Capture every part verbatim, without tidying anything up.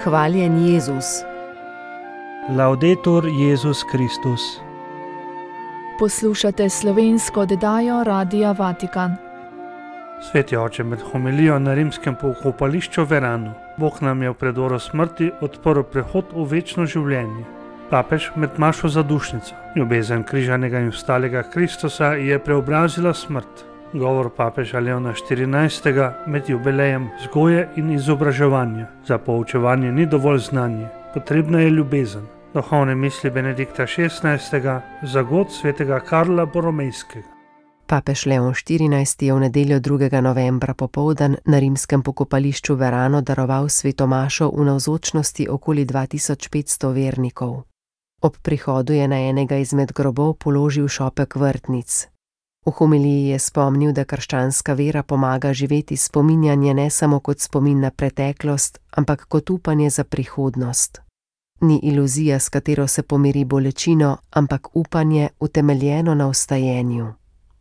Hvaljen Jezus. Laudetur Jezus Kristus. Poslušate slovensko oddajo Radia Vatikan. Sveti oče, med homilijo na rimskem pokopališču Verano, Bog nam je v predoru smrti odprl prehod v večno življenje. Papež med mašo zadušnico, ljubezen križanega in vstalega Kristusa je preobrazila smrt. Govor papeža Leona štirinajstega med jubilejem vzgoje in izobraževanja. Za poučevanje ni dovolj znanje, potrebna je ljubezen. Duhovne misli Benedikta šestnajstega za god svetega Karla Boromejskega. Papež Leon štirinajsti je v nedeljo drugega novembra popoldan na rimskem pokopališču Verano daroval sveto mašo v navzočnosti okoli dva tisoč petsto vernikov. Ob prihodu je na enega izmed grobov položil šopek vrtnic. V homiliji je spomnil, da krščanska vera pomaga živeti spominjanje ne samo kot spomin na preteklost, ampak kot upanje za prihodnost. Ni iluzija, s katero se pomiri bolečino, ampak upanje utemeljeno na vstajenju.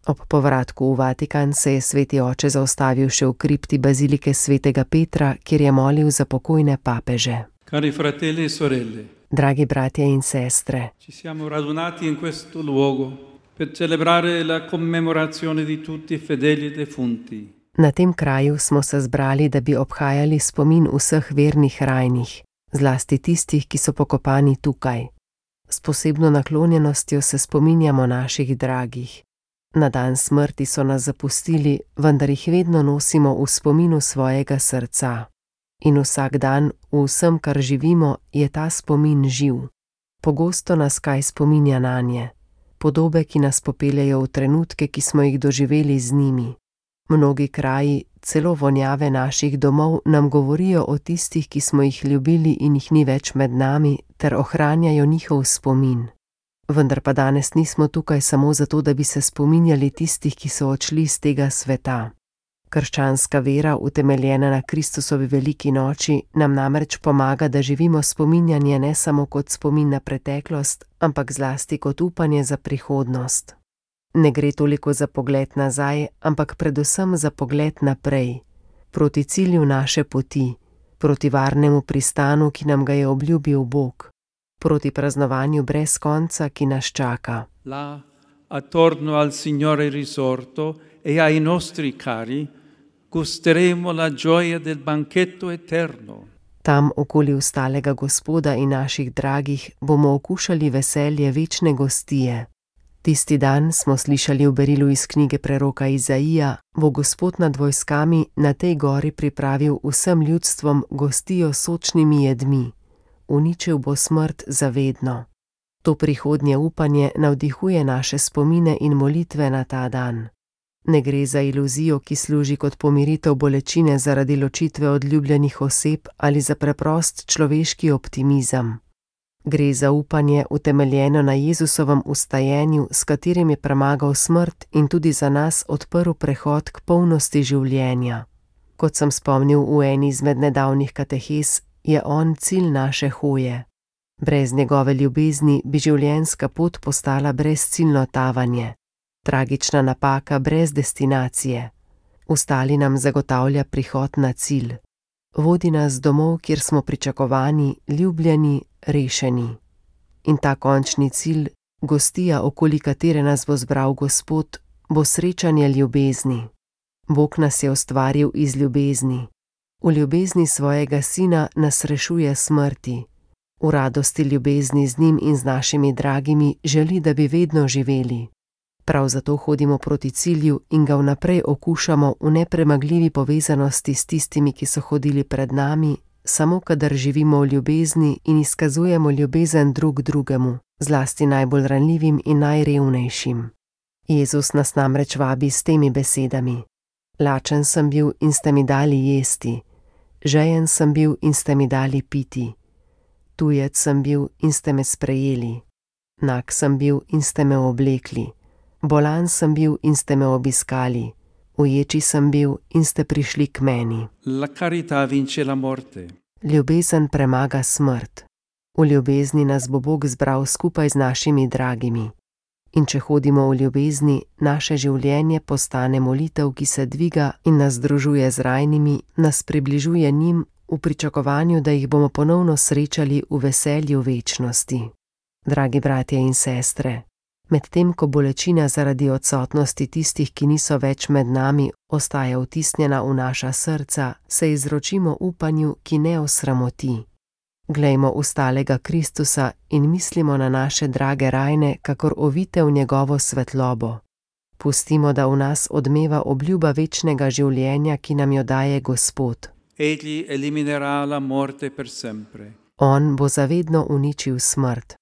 Ob povratku v Vatikan se je sveti oče zaustavil še v kripti bazilike svetega Petra, kjer je molil za pokojne papeže. Cari fratelli e sorelle, Dragi bratje in sestre, ci siamo radunati in questo luogo per celebrare la commemorazione di tutti i fedeli defunti. na tem kraju smo se zbrali, da bi obhajali spomin vseh vernih rajnih, zlasti tistih, ki so pokopani tukaj. S posebno naklonjenostjo se spominjamo naših dragih. Na dan smrti so nas zapustili, vendar jih vedno nosimo v spominu svojega srca. In vsak dan, v vsem, kar živimo, je ta spomin živ. Pogosto nas kaj spominja nanje. Podobe, ki nas popeljejo v trenutke, ki smo jih doživeli z njimi. Mnogi kraji, celo vonjave naših domov nam govorijo o tistih, ki smo jih ljubili in jih ni več med nami, ter ohranjajo njihov spomin. Vendar pa danes nismo tukaj samo zato, da bi se spominjali tistih, ki so odšli z tega sveta. Krščanska vera, utemeljena na Kristusovi veliki noči, nam namreč pomaga, da živimo spominjanje ne samo kot spomin na preteklost, ampak zlasti kot upanje za prihodnost. Ne gre toliko za pogled nazaj, ampak predvsem za pogled naprej, proti cilju naše poti, proti varnemu pristanu, ki nam ga je obljubil Bog, proti praznovanju brez konca, ki nas čaka. Là, attorno al Signore risorto e ai nostri cari, gusteremo la gioia del banchetto eterno. Tam, okoli vstalega Gospoda in naših dragih, bomo okušali veselje večne gostije. Tisti dan, smo slišali v berilu iz knjige preroka Izaija, bo Gospod nad vojskami na tej gori pripravil vsem ljudstvom gostijo s sočnimi jedmi. Uničil bo smrt zavedno. To prihodnje upanje navdihuje naše spomine in molitve na ta dan. Ne gre za iluzijo, ki služi kot pomiritev bolečine zaradi ločitve od ljubljenih oseb ali za preprost človeški optimizem. Gre za upanje utemeljeno na Jezusovem vstajenju, s katerim je premagal smrt in tudi za nas odprl prehod k polnosti življenja. Kot sem spomnil v eni izmed nedavnih katehes, je on cilj naše hoje. Brez njegove ljubezni bi življenjska pot postala brezciljno tavanje. Tragična napaka brez destinacije. Vstali nam zagotavlja prihod na cilj. Vodi nas domov, kjer smo pričakovani, ljubljeni, rešeni. In ta končni cilj, gostija, okoli katere nas bo zbral Gospod, bo srečanje ljubezni. Bog nas je ustvaril iz ljubezni. V ljubezni svojega sina nas rešuje smrti. V radosti ljubezni z njim in z našimi dragimi želi, da bi vedno živeli. Prav zato hodimo proti cilju in ga vnaprej okušamo v nepremagljivi povezanosti s tistimi, ki so hodili pred nami, samo kadar živimo v ljubezni in izkazujemo ljubezen drug drugemu, zlasti najbolj ranljivim in najrevnejšim. Jezus nas namreč vabi s temi besedami. Lačen sem bil in ste mi dali jesti, žejen sem bil in ste mi dali piti, tujec sem bil in ste me sprejeli, nag sem bil in ste me oblekli, bolan sem bil in ste me obiskali, uječi sem bil in ste prišli k meni. La carità vince la morte. Ljubezen premaga smrt. V ljubezni nas bo Bog zbral skupaj z našimi dragimi. In če hodimo v ljubezni, naše življenje postane molitev, ki se dviga in nas združuje z rajnimi, nas približuje njim, v pričakovanju, da jih bomo ponovno srečali v veselju večnosti. Dragi bratje in sestre, medtem ko bolečina zaradi odsotnosti tistih, ki niso več med nami, ostaja vtisnjena v naša srca, se izročimo upanju, ki ne osramoti. Glejmo v stalega Kristusa in mislimo na naše drage rajne, kakor ovite v njegovo svetlobo. Pustimo, da v nas odmeva obljuba večnega življenja, ki nam jo daje Gospod. Egli eliminerà la morte per sempre. On bo zavedno uničil smrt.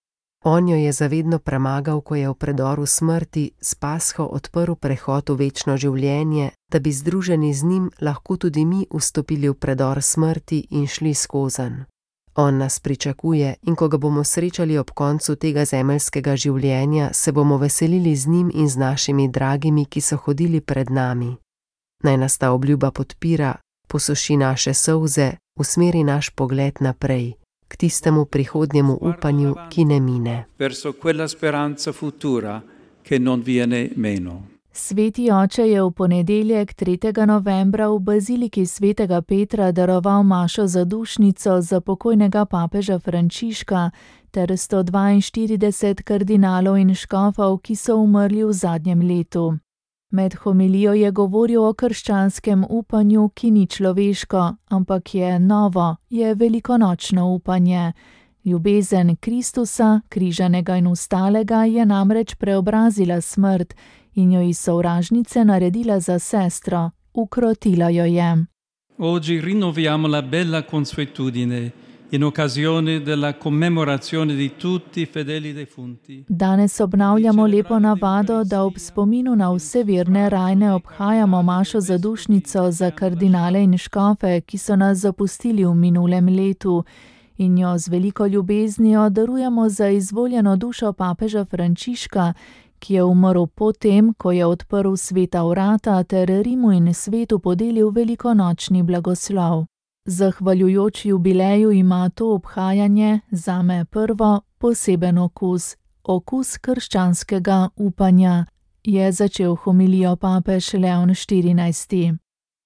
On jo je zavedno premagal, ko je v predoru smrti s Pasho odprl prehod v večno življenje, da bi združeni z njim lahko tudi mi vstopili v predor smrti in šli skozenj. On nas pričakuje in ko ga bomo srečali ob koncu tega zemeljskega življenja, se bomo veselili z njim in z našimi dragimi, ki so hodili pred nami. Naj nas ta obljuba podpira, posuši naše solze, usmeri naš pogled naprej, k tistemu prihodnjemu upanju, ki ne mine. Verso quella speranza futura che non viene meno. Sveti oče je v ponedeljek tretjega novembra v baziliki svetega Petra daroval mašo zadušnico za pokojnega papeža Frančiška ter sto dvainštirideset kardinalov in škofov, ki so umrli v zadnjem letu. Med homilijo je govoril o krščanskem upanju, ki ni človeško, ampak je novo, je velikonočno upanje. Ljubezen Kristusa, križanega in vstalega, je namreč preobrazila smrt in jo iz sovražnice naredila za sestro, ukrotila jo je. Oggi rinnoviamo la bella consuetudine in occasione della commemorazione di tutti i fedeli defunti. Danes obnavljamo lepo navado, da ob spominu na vse verne rajne obhajamo mašo zadušnico za kardinale in škofe, ki so nas zapustili v minulem letu, in jo z veliko ljubeznijo darujemo za izvoljeno dušo papeža Frančiška, ki je umrl potem, ko je odprl sveta vrata ter Rimu in svetu podelil velikonočni blagoslov. Zahvaljujoč jubileju ima to obhajanje, zame prvo, poseben okus, okus krščanskega upanja, je začel homilijo papež Leon štirinajsti.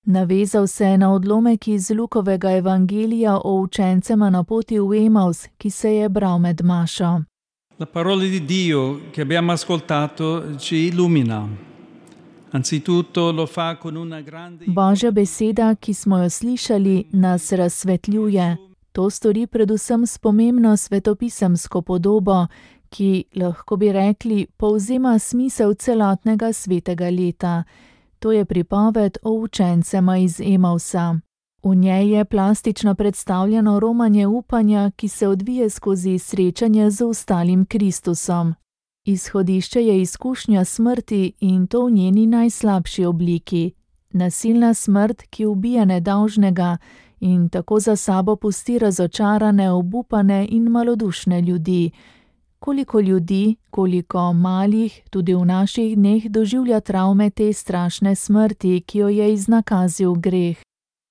Navezal se je na odlomek iz Lukovega evangelija o učencema na poti v Emaus, ki se je bral med mašo. La parola di Dio che abbiamo ascoltato ci illumina. Anzitutto lo fa con una grande... Božja beseda, ki smo jo slišali, nas razsvetljuje. To stori predvsem s pomembno svetopisemsko podobo, ki, lahko bi rekli, povzema smisel celotnega svetega leta. To je pripoved o učencema iz Emausa. V njej je plastično predstavljeno romanje upanja, ki se odvije skozi srečanje z ostalim Kristusom. Izhodišče je izkušnja smrti in to v njeni najslabši obliki. Nasilna smrt, ki ubija nedolžnega in tako za sabo pusti razočarane, obupane in malodušne ljudi. Koliko ljudi, koliko malih, tudi v naših dneh doživlja travme te strašne smrti, ki jo je iznakazil greh.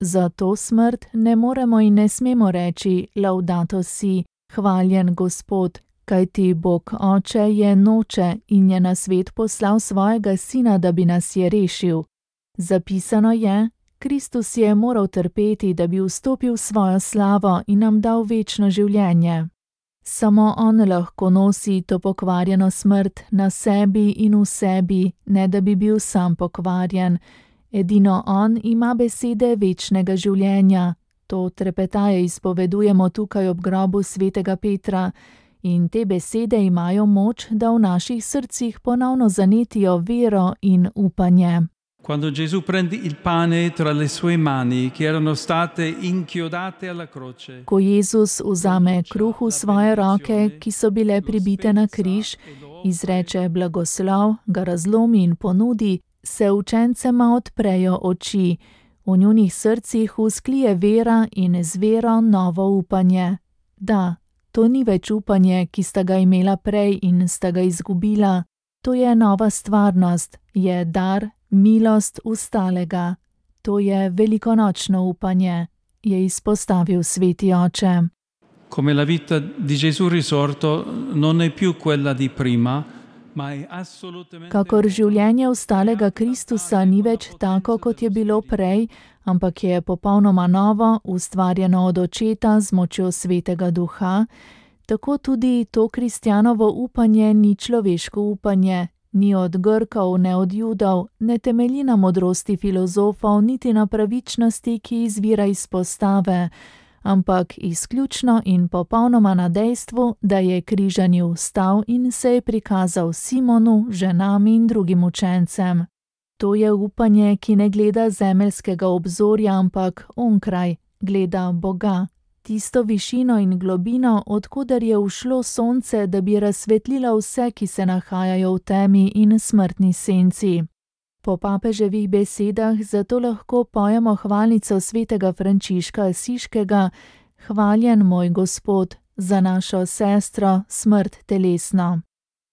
Za to smrt ne moremo in ne smemo reči laudato si, hvaljen Gospod, kajti Bog Oče je noče in je na svet poslal svojega sina, da bi nas je rešil. Zapisano je, Kristus je moral trpeti, da bi vstopil v svojo slavo in nam dal večno življenje. Samo on lahko nosi to pokvarjeno smrt na sebi in v sebi, ne da bi bil sam pokvarjen. Edino on ima besede večnega življenja. To trepetaje izpovedujemo tukaj ob grobu svetega Petra in te besede imajo moč, da v naših srcih ponovno zanetijo vero in upanje. Quando Gesù prende il pane tra le sue mani, che erano state inchiodate alla croce. Ko Jezus vzame kruh v svoje roke, ki so bile pribite na križ, izreče blagoslov, ga razlomi in ponudi, se učencema odprejo oči. V njunih srcih vzklije vera in z vero novo upanje. Da, to ni več upanje, ki sta ga imela prej in sta ga izgubila. To je nova stvarnost, je dar, milost vstalega. To je velikonočno upanje, je izpostavil sveti oče. Come la vita di Gesù risorto non è più quella di prima, Kakor življenje vstalega Kristusa ni več tako, kot je bilo prej, ampak je popolnoma novo, ustvarjeno od Očeta z močjo Svetega Duha, tako tudi to kristjanovo upanje ni človeško upanje, ni od Grkov, ne od Judov, ne temelji na modrosti filozofov, niti na pravičnosti, ki izvira iz postave, ampak izključno in popolnoma na dejstvu, da je križani vstal in se je prikazal Simonu, ženam in drugim učencem. To je upanje, ki ne gleda zemeljskega obzorja, ampak onkraj, gleda Boga, tisto višino in globino, odkuder je ušlo sonce, da bi razsvetlilo vse, ki se nahajajo v temi in smrtni senci. Po papeževih besedah zato lahko pojemo hvalnico svetega Frančiška Asiškega, hvaljen moj Gospod, za našo sestro, smrt telesno.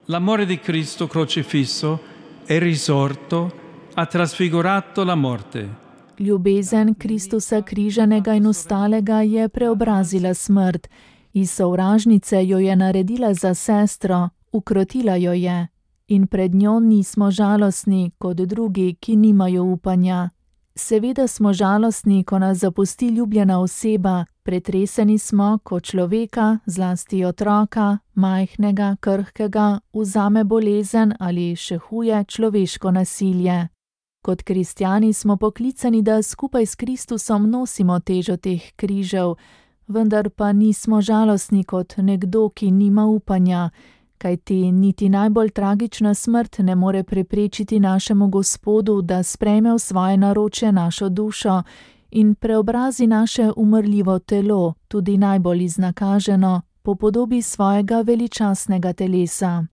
L'amore di Cristo crocifisso è risorto, ha trasfigurato la morte. Ljubezen Kristusa križanega in vstalega je preobrazila smrt, iz sovražnice jo je naredila za sestro, ukrotila jo je. In pred njo nismo žalostni, kot drugi, ki nimajo upanja. Seveda smo žalostni, ko nas zapusti ljubljena oseba, pretreseni smo, ko človeka, zlasti otroka, majhnega, krhkega, vzame bolezen ali še huje človeško nasilje. Kot kristjani smo poklicani, da skupaj s Kristusom nosimo težo teh križev, vendar pa nismo žalostni kot nekdo, ki nima upanja, kajti niti najbolj tragična smrt ne more preprečiti našemu Gospodu, da sprejme v svoje naročje našo dušo in preobrazi naše umrljivo telo, tudi najbolj iznakaženo, po podobi svojega veličastnega telesa.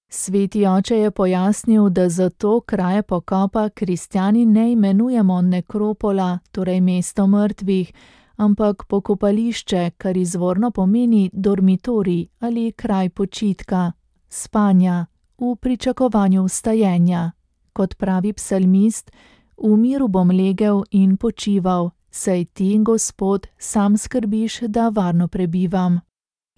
Sveti oče je pojasnil, da zato kraje pokopa kristjani ne imenujemo nekropola, torej mesto mrtvih, ampak pokopališče, kar izvorno pomeni dormitorij ali kraj počitka, spanja, v pričakovanju vstajenja. Kot pravi psalmist, v miru bom legel in počival, saj ti, Gospod, sam skrbiš, da varno prebivam.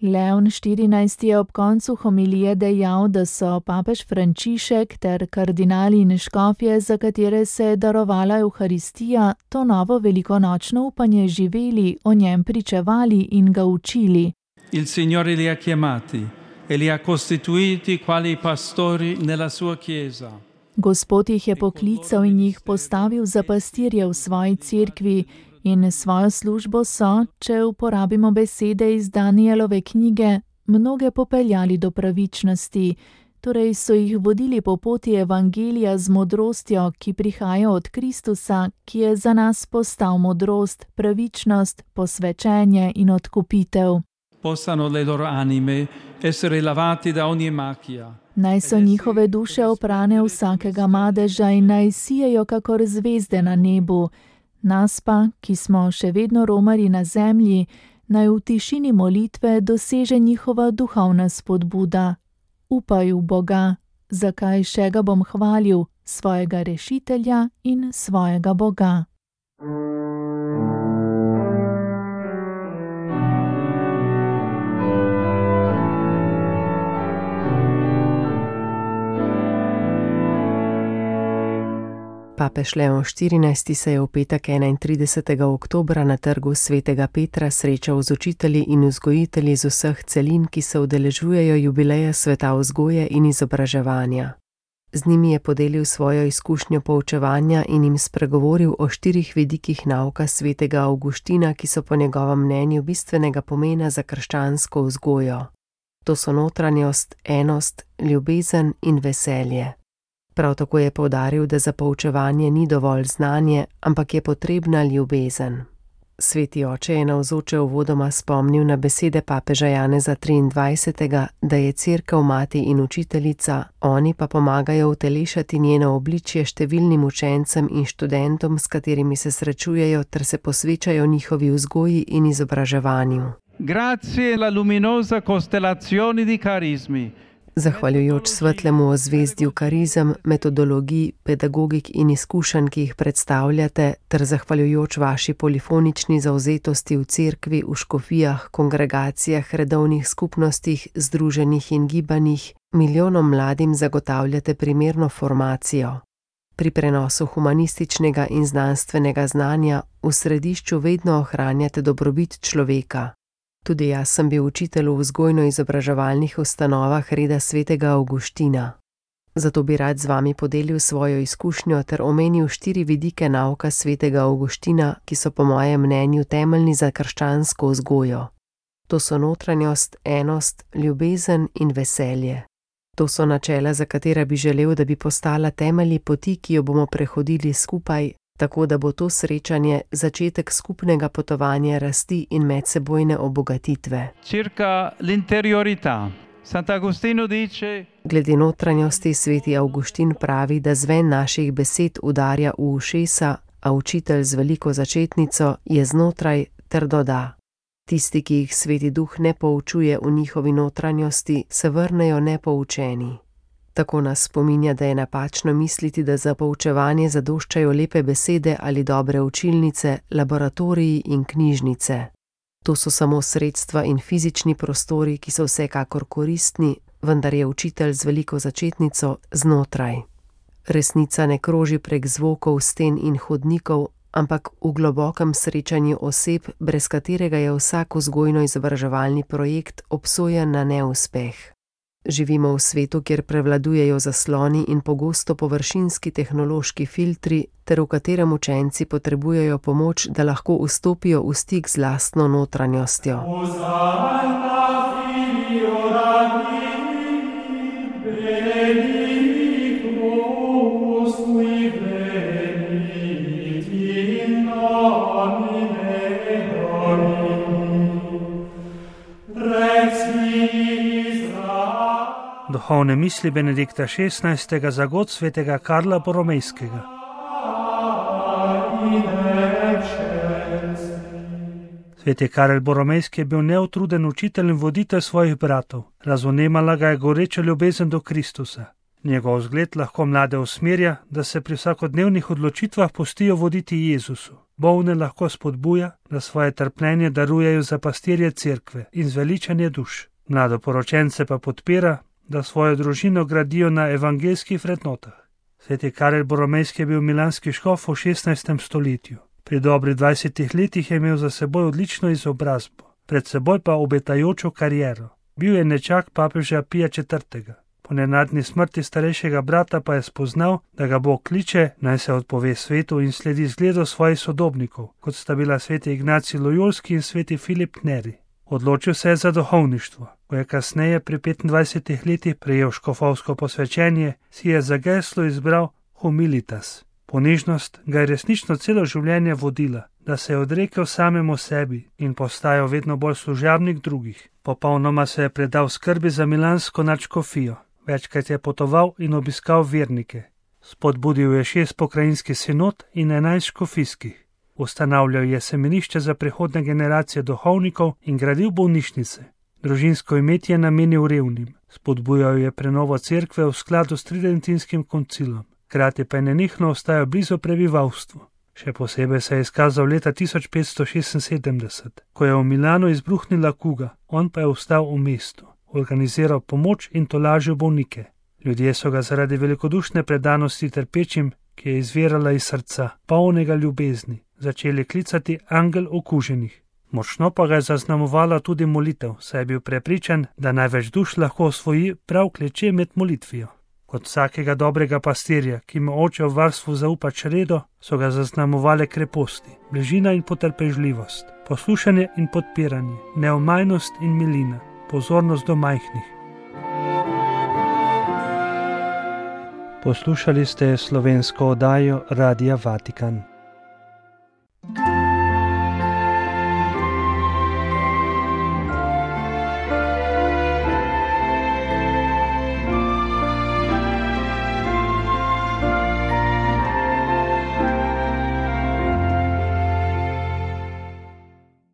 Leon štirinajsti je ob koncu homilije dejal, da so papež Frančišek ter kardinali in škofje, za katere se je darovala Evharistija, to novo velikonočno upanje živeli, o njem pričevali in ga učili. Il Signore li ha chiamati e li ha costituiti quali pastori nella sua chiesa. Gospod jih je poklical in jih postavil za pastirje v svoji cerkvi, in svojo službo so, če uporabimo besede iz Danielove knjige, mnoge popeljali do pravičnosti, torej so jih vodili po poti evangelija z modrostjo, ki prihaja od Kristusa, ki je za nas postal modrost, pravičnost, posvečenje in odkupitev. Possano le loro anime essere lavati da ogni macchia. Naj so njihove duše oprane vsakega madeža in naj sijejo kakor zvezde na nebu. Nas pa, ki smo še vedno romarji na zemlji, naj v tišini molitve doseže njihova duhovna spodbuda. Upaj v Boga, zakaj še ga bom hvalil, svojega rešitelja in svojega Boga. Papež Leon štirinajsti se je v petek enaintridesetega oktobra na trgu svetega Petra srečal z učitelji in vzgojitelji z vseh celin, ki se udeležujejo jubileja sveta vzgoje in izobraževanja. Z njimi je podelil svojo izkušnjo poučevanja in jim spregovoril o štirih vidikih nauka svetega Avguština, ki so po njegovem mnenju bistvenega pomena za krščansko vzgojo. To so notranjost, enost, ljubezen in veselje. Prav tako je poudaril, da za poučevanje ni dovolj znanje, ampak je potrebna ljubezen. Sveti oče je navzoče uvodoma spomnil na besede papeža Janeza triindvajsetega, da je cerkev mati in učiteljica, oni pa pomagajo utelešati njeno obličje številnim učencem in študentom, s katerimi se srečujejo ter se posvečajo njihovi vzgoji in izobraževanju. Grazie alla luminosa costellazione di carismi. Zahvaljujoč svetlemu ozvezdju karizem, metodologij, pedagogik in izkušenj, ki jih predstavljate, ter zahvaljujoč vaši polifonični zavzetosti v cerkvi, v škofijah, kongregacijah, redovnih skupnostih, združenjih in gibanjih, milijonom mladim zagotavljate primerno formacijo. Pri prenosu humanističnega in znanstvenega znanja v središču vedno ohranjate dobrobit človeka. Tudi jaz sem bil učitelj v vzgojno-izobraževalnih ustanovah reda svetega Avguština. Zato bi rad z vami podelil svojo izkušnjo ter omenil štiri vidike nauka svetega Avguština, ki so po mojem mnenju temeljni za krščansko vzgojo. To so notranjost, enost, ljubezen in veselje. To so načela, za katera bi želel, da bi postala temelji poti, ki jo bomo prehodili skupaj, tako da bo to srečanje začetek skupnega potovanja rasti in medsebojne obogatitve. Circa l'interiorità. Sant'Agostino dice: Glede notranjosti sveti Avguštin pravi, da zven naših besed udarja v ušesa, a učitelj z veliko začetnico je znotraj ter doda: Tisti, ki jih sveti duh ne poučuje v njihovi notranjosti, se vrnejo nepoučeni. Tako nas spominja, da je napačno misliti, da za poučevanje zadoščajo lepe besede ali dobre učilnice, laboratoriji in knjižnice. To so samo sredstva in fizični prostori, ki so vsekakor koristni, vendar je učitelj z veliko začetnico znotraj. Resnica ne kroži prek zvokov, sten in hodnikov, ampak v globokem srečanju oseb, brez katerega je vsak vzgojno-izobraževalni projekt obsojen na neuspeh. Živimo v svetu, kjer prevladujejo zasloni in pogosto površinski tehnološki filtri, ter v katerem učenci potrebujejo pomoč, da lahko vstopijo v stik z lastno notranjostjo. Duhovne misli Benedikta šestnajstega za god svetega Karla Boromejskega. Sveti Karel Boromejski je bil neutruden učitelj in voditelj svojih bratov. Razumela ga je goreča ljubezen do Kristusa. Njegov zgled lahko mlade usmerja, da se pri vsakodnevnih odločitvah pustijo voditi Jezusu. Bolne lahko spodbuja, da svoje trpljenje darujejo za pastirje cerkve in zveličanje duš. Mladoporočence pa podpira, da svojo družino gradijo na evangeljskih vrednotah. Sveti Karel Boromejski je bil milanski škof v šestnajstem stoletju. Pri dobrih dvajsetih letih je imel za seboj odlično izobrazbo, pred seboj pa obetajočo kariero. Bil je nečak papeža Pija četrtega. Po nenadni smrti starejšega brata pa je spoznal, da ga Bog kliče, naj se odpove svetu in sledi zgledu svojih sodobnikov, kot sta bila sveti Ignacij Lojolski in sveti Filip Neri. Odločil se je za duhovništvo. Ko je kasneje pri petindvajsetih letih prejel škofovsko posvečenje, si je za geslo izbral humilitas. Ponižnost ga je resnično celo življenje vodila, da se je odrekel samemu sebi in postajal vedno bolj služabnik drugih. Popolnoma se je predal skrbi za milansko nadškofijo. Večkrat je potoval in obiskal vernike. Spodbudil je šest pokrajinskih sinod in enajst škofijskih. Ustanavljal je semenišče za prihodne generacije duhovnikov in gradil bolnišnice. Družinsko imetje je namenil revnim. Spodbujal je prenovo cerkve v skladu s tridentinskim koncilom. Hkrati pa je nenehno ostajal blizu prebivalstvu. Še posebej se je izkazal leta tisoč petsto šestinsedemdeset, ko je v Milanu izbruhnila kuga, on pa je ostal v mestu, organiziral pomoč in tolažil bolnike. Ljudje so ga zaradi velikodušne predanosti trpečim, ki je izvirala iz srca, polnega ljubezni, začeli klicati angel okuženih. Močno pa ga je zaznamovala tudi molitev, saj je bil prepričan, da največ duš lahko osvoji prav kleče med molitvijo. Kot vsakega dobrega pastirja, ki mu oče v varstvu zaupa čredo, so ga zaznamovale kreposti, bližina in potrpežljivost, poslušanje in podpiranje, neomajnost in milina, pozornost do majhnih. Poslušali ste slovensko oddajo Radia Vatikan.